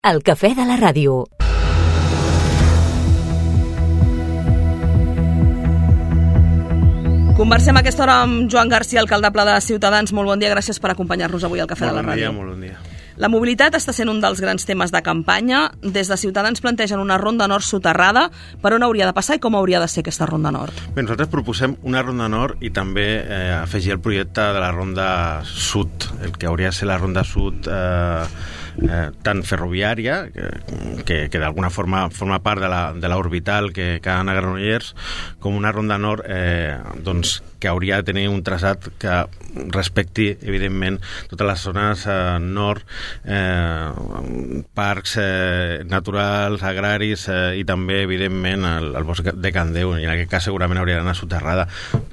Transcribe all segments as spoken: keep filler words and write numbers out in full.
El cafè de la ràdio. Conversem a aquesta hora amb Joan Garcia, alcaldable de Ciutadans. Molt bon dia, gràcies per acompanyar-nos avui al Cafè de la Ràdio. Molt bon dia, molt bon dia. La mobilitat està sent un dels grans temes de campanya. Des de Ciutadans plantegen una ronda nord soterrada. Per on hauria de passar i com hauria de ser aquesta ronda nord? Bé, nosaltres proposem una ronda nord i també eh, afegir el projecte de la ronda sud, el que hauria de ser la ronda sud eh, eh, tant ferroviària, que, que, que d'alguna forma forma part de la, de l'orbital que, que ha d'anar a Granollers, com una ronda nord eh, doncs, que hauria de tenir un traçat que respecti, evidentment, totes les zones eh, nord, eh, parcs eh, naturals, agraris eh, i també, evidentment, el, el bosc de Can Déu, i en aquest cas segurament hauria d'anar soterrada,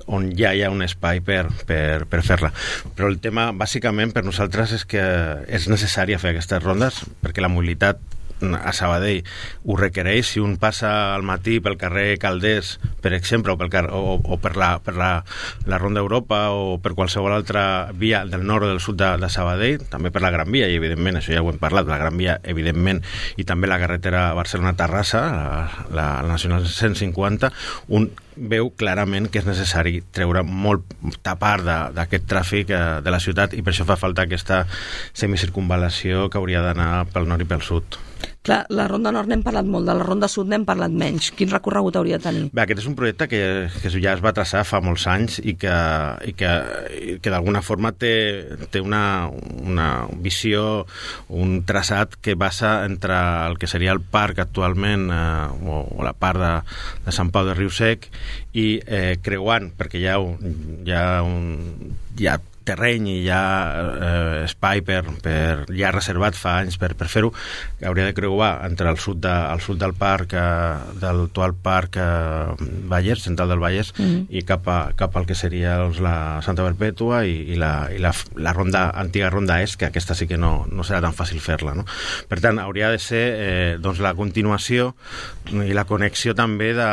on ja hi ha un espai per, per, per fer-la. Però el tema, bàsicament, per nosaltres és que és necessari fer aquestes rondes, perquè la mobilitat a Sabadell ho requereix. Si un passa al matí pel carrer Calders, per exemple, o, pel car o, o per, la, per la, la Ronda Europa o per qualsevol altra via del nord o del sud de, de Sabadell, també per la Gran Via, i evidentment, això ja ho hem parlat, la Gran Via, evidentment, i també la carretera Barcelona-Terrassa, la, la, la Nacional cent cinquanta, un veu clarament que és necessari treure molta part d'aquest tràfic eh, de la ciutat, i per això fa falta aquesta semicircunvalació que hauria d'anar pel nord i pel sud. Clar, la ronda nord n'hem parlat molt, de la ronda sud n'hem parlat menys. Quin recorregut hauria de tenir? Bé, aquest és un projecte que, que ja es va traçar fa molts anys i que, i que, i que d'alguna forma té, té una, una visió, un traçat que basa entre el que seria el parc actualment eh, o, o la part de, de Sant Pau de Riu-Sec i eh, creuant, perquè hi ha, hi ha, un, hi ha terreny i hi ha eh, espai per, per, ja reservat fa anys per, per fer-ho, que hauria de creuar entre el sud, de, el sud del parc, eh, del actual parc eh, Vallès, central del Vallès, mm-hmm. i cap, a, cap al que seria doncs, la Santa Perpètua i, i, la, i la, la ronda, antiga ronda est, que aquesta sí que no, no serà tan fàcil fer-la, no? Per tant, hauria de ser eh, doncs, la continuació i la connexió també de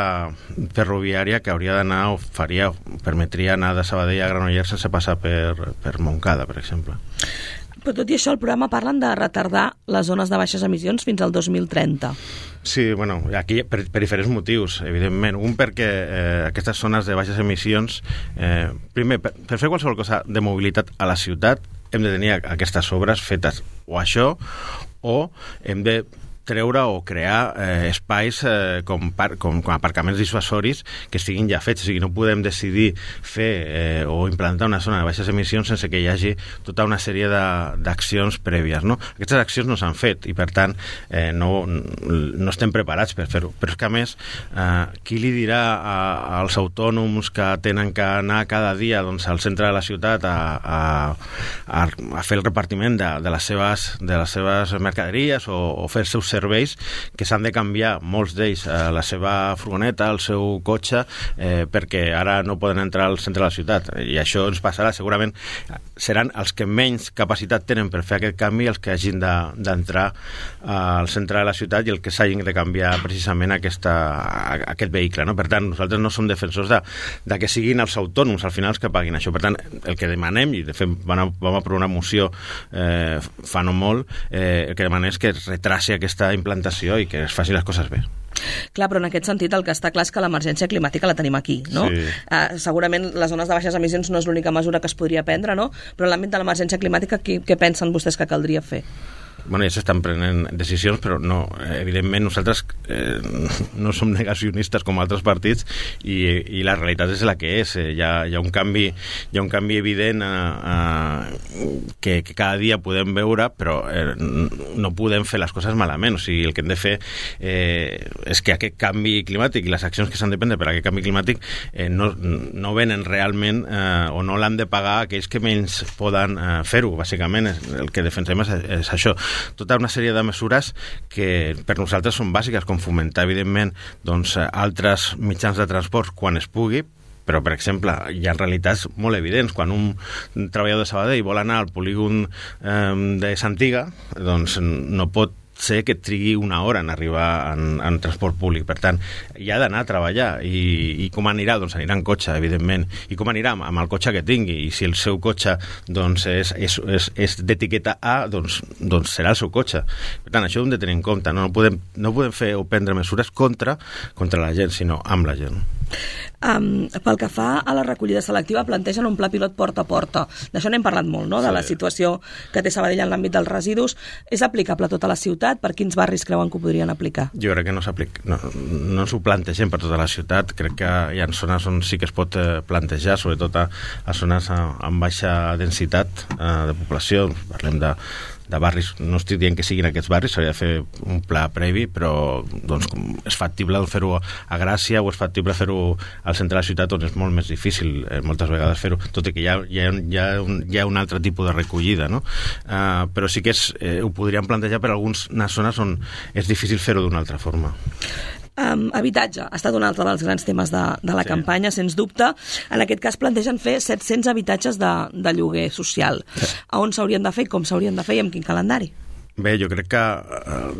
ferroviària que hauria d'anar, o faria, o permetria anar de Sabadell a Granollers sense passar per per Montcada, per exemple. Però tot i això, el programa parlen de retardar les zones de baixes emissions fins al dos mil trenta. Sí, bueno, aquí per, per diferents motius, evidentment. Un, perquè eh, aquestes zones de baixes emissions, eh, primer, per, per fer qualsevol cosa de mobilitat a la ciutat, hem de tenir aquestes obres fetes o això, o hem de treure o crear eh, espais eh, com, par com, com aparcaments dissuasoris que estiguin ja fets. O sigui, no podem decidir fer eh, o implantar una zona de baixes emissions sense que hi hagi tota una sèrie d'accions prèvies, no? Aquestes accions no s'han fet i, per tant, eh, no, no estem preparats per fer-ho. Però és que, a més, eh, qui li dirà a, als autònoms que tenen que anar cada dia doncs, al centre de la ciutat a, a, a, a fer el repartiment de, de, les seves, de les seves mercaderies o, o fer els seus serveis, que s'han de canviar molts d'ells a la seva furgoneta, al seu cotxe, eh, perquè ara no poden entrar al centre de la ciutat, i això ens passarà. Segurament seran els que menys capacitat tenen per fer aquest canvi els que hagin d'entrar de, al centre de la ciutat i el que s'hagin de canviar precisament aquesta, aquest vehicle, no? Per tant, nosaltres no som defensors de, de que siguin els autònoms al final els que paguin això. Per tant, el que demanem, i de fet vam, vam aprovar una moció eh, fa no molt, eh, el que demanem és que es retraci aquesta implantació i que es faci les coses bé. Clar, però en aquest sentit el que està clar és que l'emergència climàtica la tenim aquí, no? Sí. Uh, segurament les zones de baixes emissions no és l'única mesura que es podria prendre, no? Però en l'àmbit de l'emergència climàtica, què, què pensen vostès que caldria fer? Bueno, ja s'estan prenent decisions, però no, evidentment nosaltres eh, no som negacionistes com altres partits i, i la realitat és la que és. Eh, hi, ha, hi ha un canvi, hi ha un canvi evident eh, eh, que, que cada dia podem veure, però eh, no podem fer les coses malament. O sigui, el que hem de fer eh, és que aquest canvi climàtic i les accions que s'han de prendre per a aquest canvi climàtic eh, no, no venen realment eh, o no l'han de pagar aquells que menys poden eh, fer-ho. Bàsicament el que defensem és, és això. Tota una sèrie de mesures que per nosaltres són bàsiques, com fomentar, evidentment, doncs, altres mitjans de transport quan es pugui, però, per exemple, hi ha realitats molt evidents. Quan un treballador de Sabadell vol anar al polígon eh, de Santiga, doncs no pot sé que trigui una hora en arribar en, en transport públic. Per tant, hi ha d'anar a treballar. I, i com anirà? Doncs anirà en cotxe, evidentment. I com anirà? Amb el cotxe que tingui. I si el seu cotxe doncs, és, és, és, és d'etiqueta A, doncs, doncs serà el seu cotxe. Per tant, això ho hem de tenir en compte. No, no, podem, no podem fer o prendre mesures contra, contra la gent, sinó amb la gent. Um, pel que fa a la recollida selectiva, plantegen un pla pilot porta a porta. D'això n'hem parlat molt, no?, de la situació que té Sabadell en l'àmbit dels residus. És aplicable a tota la ciutat? Per quins barris creuen que ho podrien aplicar? Jo crec que no s'aplica, no, no ens ho plantegem per tota la ciutat. Crec que hi ha zones on sí que es pot plantejar, sobretot a, a zones amb baixa densitat eh, de població. Parlem de de barris, no estic dient que siguin aquests barris, s'hauria de fer un pla previ, però doncs, és factible fer-ho a Gràcia o és factible fer-ho al centre de la ciutat, on és molt més difícil eh, moltes vegades fer-ho, tot i que hi ha, hi ha, hi ha, un, hi ha un altre tipus de recollida, no? Uh, però sí que és, eh, ho podríem plantejar per algunes zones on és difícil fer-ho d'una altra forma. Um, habitatge ha estat un altre dels grans temes de, de la sí. campanya, sens dubte. En aquest cas plantegen fer set-cents habitatges de, de lloguer social. Sí. A on s'haurien de fer, com s'haurien de fer i amb quin calendari? Bé, jo crec que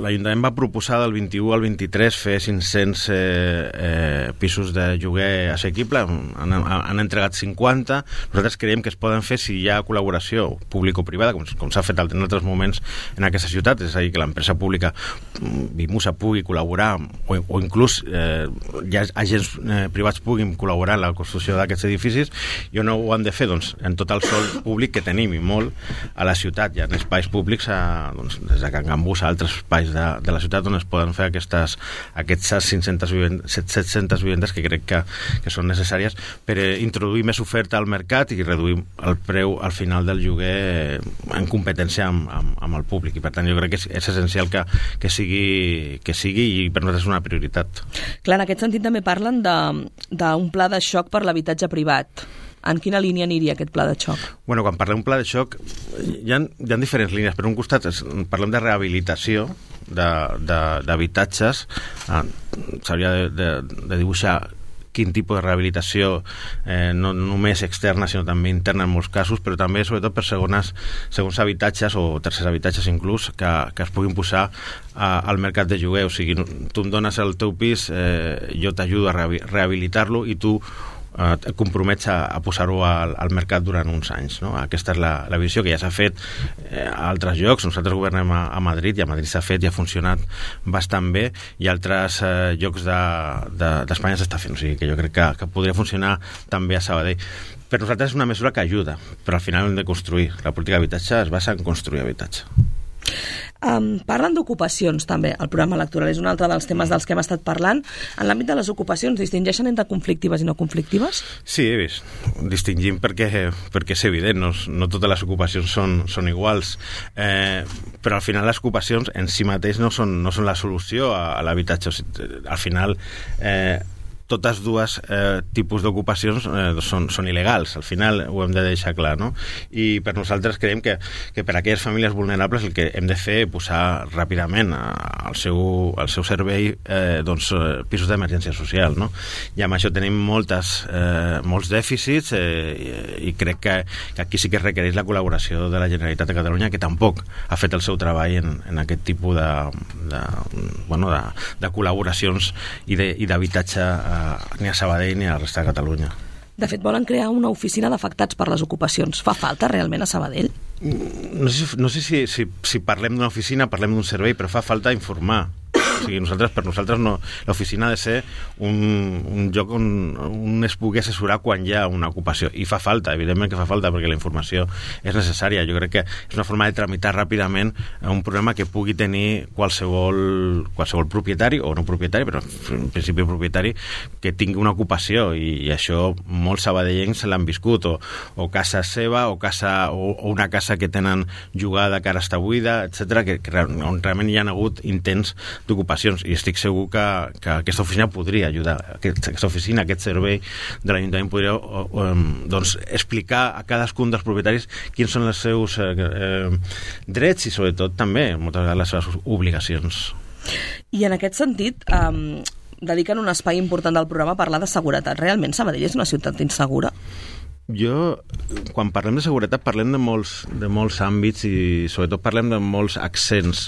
l'Ajuntament va proposar del vint-i-u al vint-i-tres fer cinc-cents eh, eh, pisos de lloguer assequible, han, han entregat cinquanta. Nosaltres creiem que es poden fer si hi ha col·laboració público-privada, com, com s'ha fet en altres moments en aquesta ciutat, és a dir, que l'empresa pública Vimusa pugui col·laborar o, o inclús eh, ja agents eh, privats puguin col·laborar en la construcció d'aquests edificis. I on ho han de fer? Doncs en tot el sòl públic que tenim, i molt a la ciutat. Hi ha espais públics a, doncs, des de Can Gambús a altres espais de, de la ciutat on es poden fer aquestes, aquestes cinc-centes vivendes, set-centes vivendes que crec que, que són necessàries per introduir més oferta al mercat i reduir el preu al final del lloguer en competència amb, amb, amb el públic. I per tant jo crec que és, és essencial que, que, sigui, que sigui i per nosaltres és una prioritat. Clar, en aquest sentit també parlen d'un pla de xoc per l'habitatge privat. En quina línia aniria aquest pla de xoc? Bueno, quan parlem d'un pla de xoc hi ha, hi ha diferents línies. Per un costat és, parlem de rehabilitació d'habitatges. Ah, s'hauria de, de, de dibuixar quin tipus de rehabilitació, eh, no només externa sinó també interna en molts casos, però també sobretot per segones, segons habitatges o tercers habitatges inclús que, que es puguin posar a, al mercat de lloguer. O sigui, tu em dones el teu pis, eh, jo t'ajudo a rehabilitar-lo i tu et compromets a, a posar-ho al, al mercat durant uns anys, no? Aquesta és la, la visió que ja s'ha fet eh, a altres llocs. Nosaltres governem a, a Madrid i a Madrid s'ha fet i ha funcionat bastant bé, i altres eh, llocs d'Espanya de, de, s'està fent, o sigui que jo crec que, que podria funcionar també a Sabadell. Per nosaltres és una mesura que ajuda, però al final hem de construir. La política d'habitatge es basa en construir habitatge. Um, parlen d'ocupacions també, el programa electoral és un altre dels temes dels que hem estat parlant. En l'àmbit de les ocupacions, distingeixen entre conflictives i no conflictives? Sí, he vist. Distingim perquè, perquè és evident, no, no totes les ocupacions són, són iguals, eh, però al final les ocupacions en si mateix no són, no són la solució a, a l'habitatge. O sigui, al final eh, totes dues eh, tipus d'ocupacions eh, són, són il·legals, al final ho hem de deixar clar, no? I per nosaltres creiem que, que per a aquelles famílies vulnerables el que hem de fer és posar ràpidament al seu, al seu servei eh, doncs, pisos d'emergència social, no? I amb això tenim moltes, eh, molts dèficits eh, i, i crec que, que aquí sí que es requereix la col·laboració de la Generalitat de Catalunya, que tampoc ha fet el seu treball en, en aquest tipus de, de, bueno, de, de col·laboracions i d'habitatge ni a Sabadell ni a la resta de Catalunya. De fet, volen crear una oficina d'afectats per les ocupacions. Fa falta realment a Sabadell? No sé, no sé si, si, si parlem d'una oficina, parlem d'un servei, però fa falta informar. O sigui, nosaltres, per nosaltres no, l'oficina ha de ser un, un lloc on, on es pugui assessorar quan hi ha una ocupació, i fa falta, evidentment que fa falta, perquè la informació és necessària. Jo crec que és una forma de tramitar ràpidament un problema que pugui tenir qualsevol, qualsevol propietari, o no propietari, però en principi propietari, que tingui una ocupació, i, i això molts sabadellencs se l'han viscut, o, o casa seva, o, casa, o, o una casa que tenen jugada que ara està buida, etcètera, que, que on realment hi ha hagut intents d'ocupació, i estic segur que, que aquesta oficina podria ajudar, aquesta oficina, aquest servei de l'Ajuntament podria o, o, doncs, explicar a cadascun dels propietaris quins són els seus eh, eh, drets i sobretot també moltes vegades les seves obligacions. I en aquest sentit eh, dediquen un espai important del programa a parlar de seguretat. Realment Sabadell és una ciutat insegura? Jo, quan parlem de seguretat, parlem de molts, de molts àmbits i sobretot parlem de molts accents.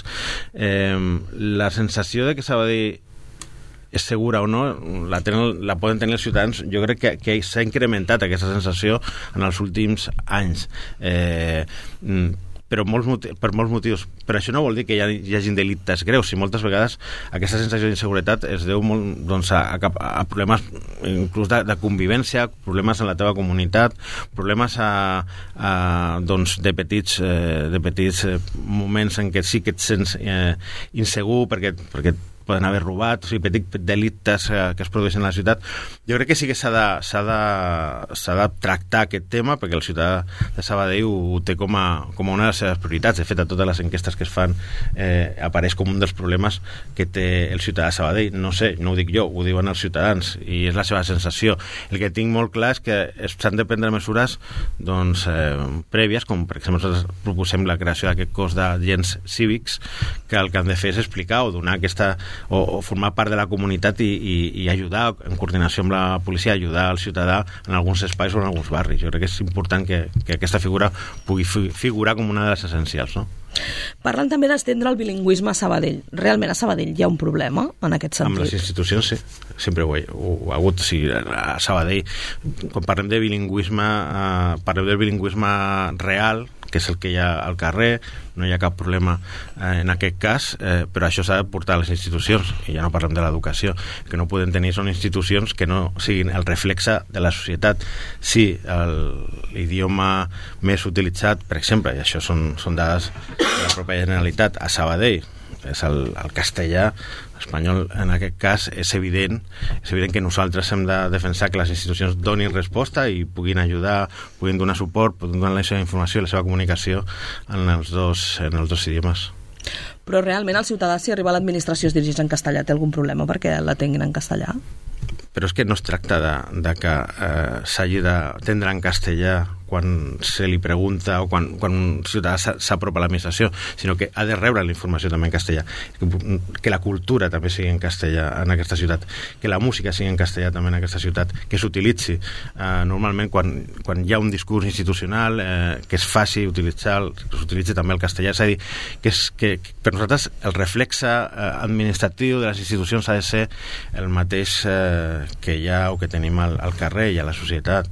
Eh, la sensació de que Sabadell és segura o no, la, tenen, la poden tenir els ciutadans. Jo crec que, que s'ha incrementat aquesta sensació en els últims anys. Eh, però molts motius, per molts motius. Però això no vol dir que hi, ha, hi hagi delictes greus, i moltes vegades aquesta sensació d'inseguretat es deu molt, doncs, a, a, a problemes inclús de, de convivència, problemes en la teva comunitat, problemes a, a, doncs, de petits, eh, de petits eh, moments en què sí que et sents eh, insegur perquè, perquè poden haver robat, o sigui, petits delictes eh, que es produeixen a la ciutat. Jo crec que sí que s'ha de, s'ha de, s'ha de tractar aquest tema, perquè el ciutadà de Sabadell ho, ho té com a, com a una de les seves prioritats. De fet, a totes les enquestes que es fan eh, apareix com un dels problemes que té el ciutadà de Sabadell. No sé, no ho dic jo, ho diuen els ciutadans, i és la seva sensació. El que tinc molt clar és que s'han de prendre mesures doncs, eh, prèvies, com per exemple nosaltres proposem la creació d'aquest cos d'agents cívics, que el que han de fer és explicar o donar aquesta O, o formar part de la comunitat i, i, i ajudar, en coordinació amb la policia, ajudar al ciutadà en alguns espais o en alguns barris. Jo crec que és important que, que aquesta figura pugui fi, figurar com una de les essencials, no? Parlen també d'estendre el bilingüisme a Sabadell. Realment a Sabadell hi ha un problema en aquest sentit? Amb les institucions, sí. Sempre ho, he, ho, ho ha hagut. Sí, a Sabadell, quan parlem de bilingüisme, eh, parlem del bilingüisme real, que és el que hi ha al carrer, no hi ha cap problema eh, en aquest cas, eh, però això s'ha de portar a les institucions, i ja no parlem de l'educació. El que no podem tenir són institucions que no siguin el reflexe de la societat. Sí, l'idioma més utilitzat, per exemple, i això són, són dades de la pròpia Generalitat, a Sabadell, és el, el castellà. Espanyol, en aquest cas, és evident és evident que nosaltres hem de defensar que les institucions donin resposta i puguin ajudar, puguin donar suport, puguin donar la seva informació i la seva comunicació en els dos, en els dos idiomes. Però realment el ciutadà, si arriba a l'administració es dirigeix en castellà, té algun problema perquè la tinguin en castellà? Però és que no es tracta de, de que eh, s'hagi d'atendre en castellà quan se li pregunta o quan, quan un ciutadà s'apropa a l'administració, sinó que ha de rebre la informació també en castellà, que, que la cultura també sigui en castellà en aquesta ciutat, que la música sigui en castellà també en aquesta ciutat, que s'utilitzi eh, normalment quan, quan hi ha un discurs institucional, eh, que es faci utilitzar, que s'utilitzi també el castellà. És a dir, que, és, que, que per nosaltres el reflexe eh, administratiu de les institucions ha de ser el mateix eh, que hi ha o que tenim al, al carrer i a la societat.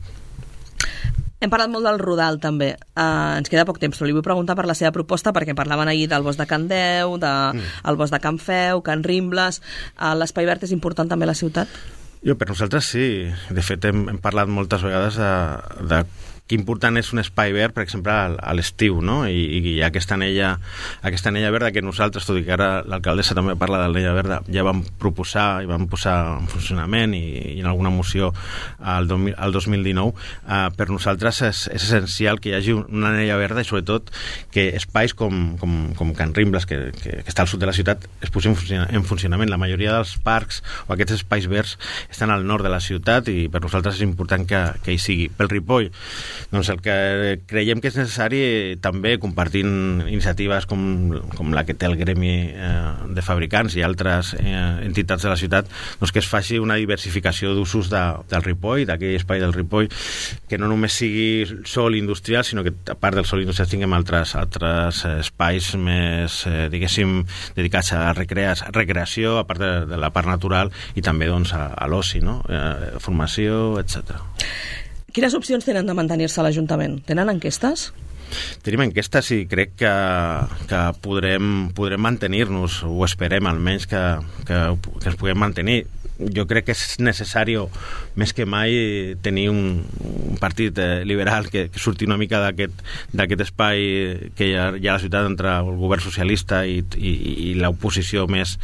Hem parlat molt del Rodal, també. Uh, ens queda poc temps, però li vull preguntar per la seva proposta, perquè parlaven ahir del bosc de Can Deu, del de, mm. bosc de Can Feu, Can Rimbles. Uh, L'espai verd és important també a la ciutat? Jo, per nosaltres sí. De fet, hem, hem parlat moltes vegades de, de que important és un espai verd, per exemple, a l'estiu, no? I, i aquesta anella, aquesta anella verda que nosaltres, tot i que ara l'alcaldessa també parla de l'anella verda, ja vam proposar i vam posar en funcionament i, i en alguna moció al, al dos mil dinou, eh, per nosaltres és, és essencial que hi hagi una anella verda i sobretot que espais com, com, com Can Rimbles, que, que, que està al sud de la ciutat, es posin en funcionament. La majoria dels parcs o aquests espais verds estan al nord de la ciutat i per nosaltres és important que, que hi sigui. Pel Ripoll, doncs el que creiem que és necessari, també compartint iniciatives com, com la que té el gremi eh, de fabricants i altres eh, entitats de la ciutat, doncs que es faci una diversificació d'usos de, del Ripoll, d'aquell espai del Ripoll, que no només sigui sòl industrial, sinó que a part del sòl industrial tinguem altres, altres espais més, eh, diguéssim, dedicats a recreació, a part de, de la part natural i també doncs, a, a l'oci, no? eh, formació, etcètera. Quines opcions tenen de mantenir-se a l'Ajuntament? Tenen enquestes? Tenim enquestes i crec que, que podrem, podrem mantenir-nos, ho esperem almenys que, que, que ens puguem mantenir. Jo crec que és necessari, més que mai, tenir un, un partit eh, liberal que, que surti una mica d'aquest espai que hi ha, hi ha a la ciutat entre el govern socialista i, i, i l'oposició més,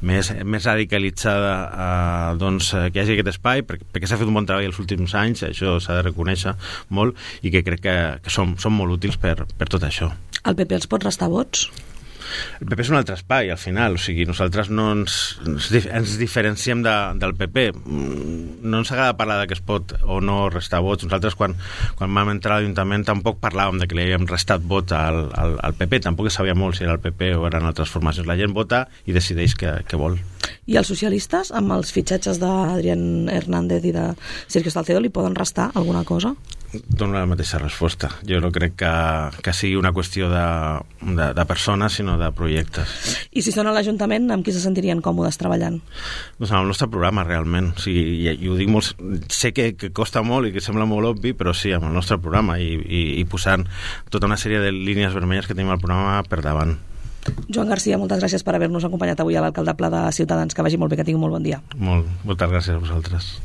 més, més radicalitzada, eh, doncs, que hi hagi aquest espai, perquè, perquè s'ha fet un bon treball els últims anys, això s'ha de reconèixer molt, i que crec que, que són, són molt útils per, per tot això. El P P els pot restar vots? El P P és un altre espai, al final, o sigui, nosaltres no ens, ens diferenciem de, del P P. No ens agrada parlar de que es pot o no restar vots. Nosaltres, quan, quan vam entrar a l'Ajuntament, tampoc parlàvem de que li havíem restat vots al, al, al P P, tampoc sabia molt si era el P P o eren altres formacions. La gent vota i decideix què, què vol. I els socialistes, amb els fitxatges d'Adrián Hernández i de Sergio Salcedo, li poden restar alguna cosa? dono la mateixa resposta. Jo no crec que, que sigui una qüestió de, de, de persones, sinó de projectes. I si són a l'Ajuntament, amb qui se sentirien còmodes treballant? Doncs amb el nostre programa, realment. O sigui, i, i ho dic molt... Sé que, que costa molt i que sembla molt obvi, però sí, amb el nostre programa i, i, i posant tota una sèrie de línies vermelles que tenim al programa per davant. Joan Garcia, moltes gràcies per haver-nos acompanyat avui a l'alcaldable de Ciutadans. Que vagi molt bé, que tingui molt bon dia. Molt, moltes gràcies a vosaltres.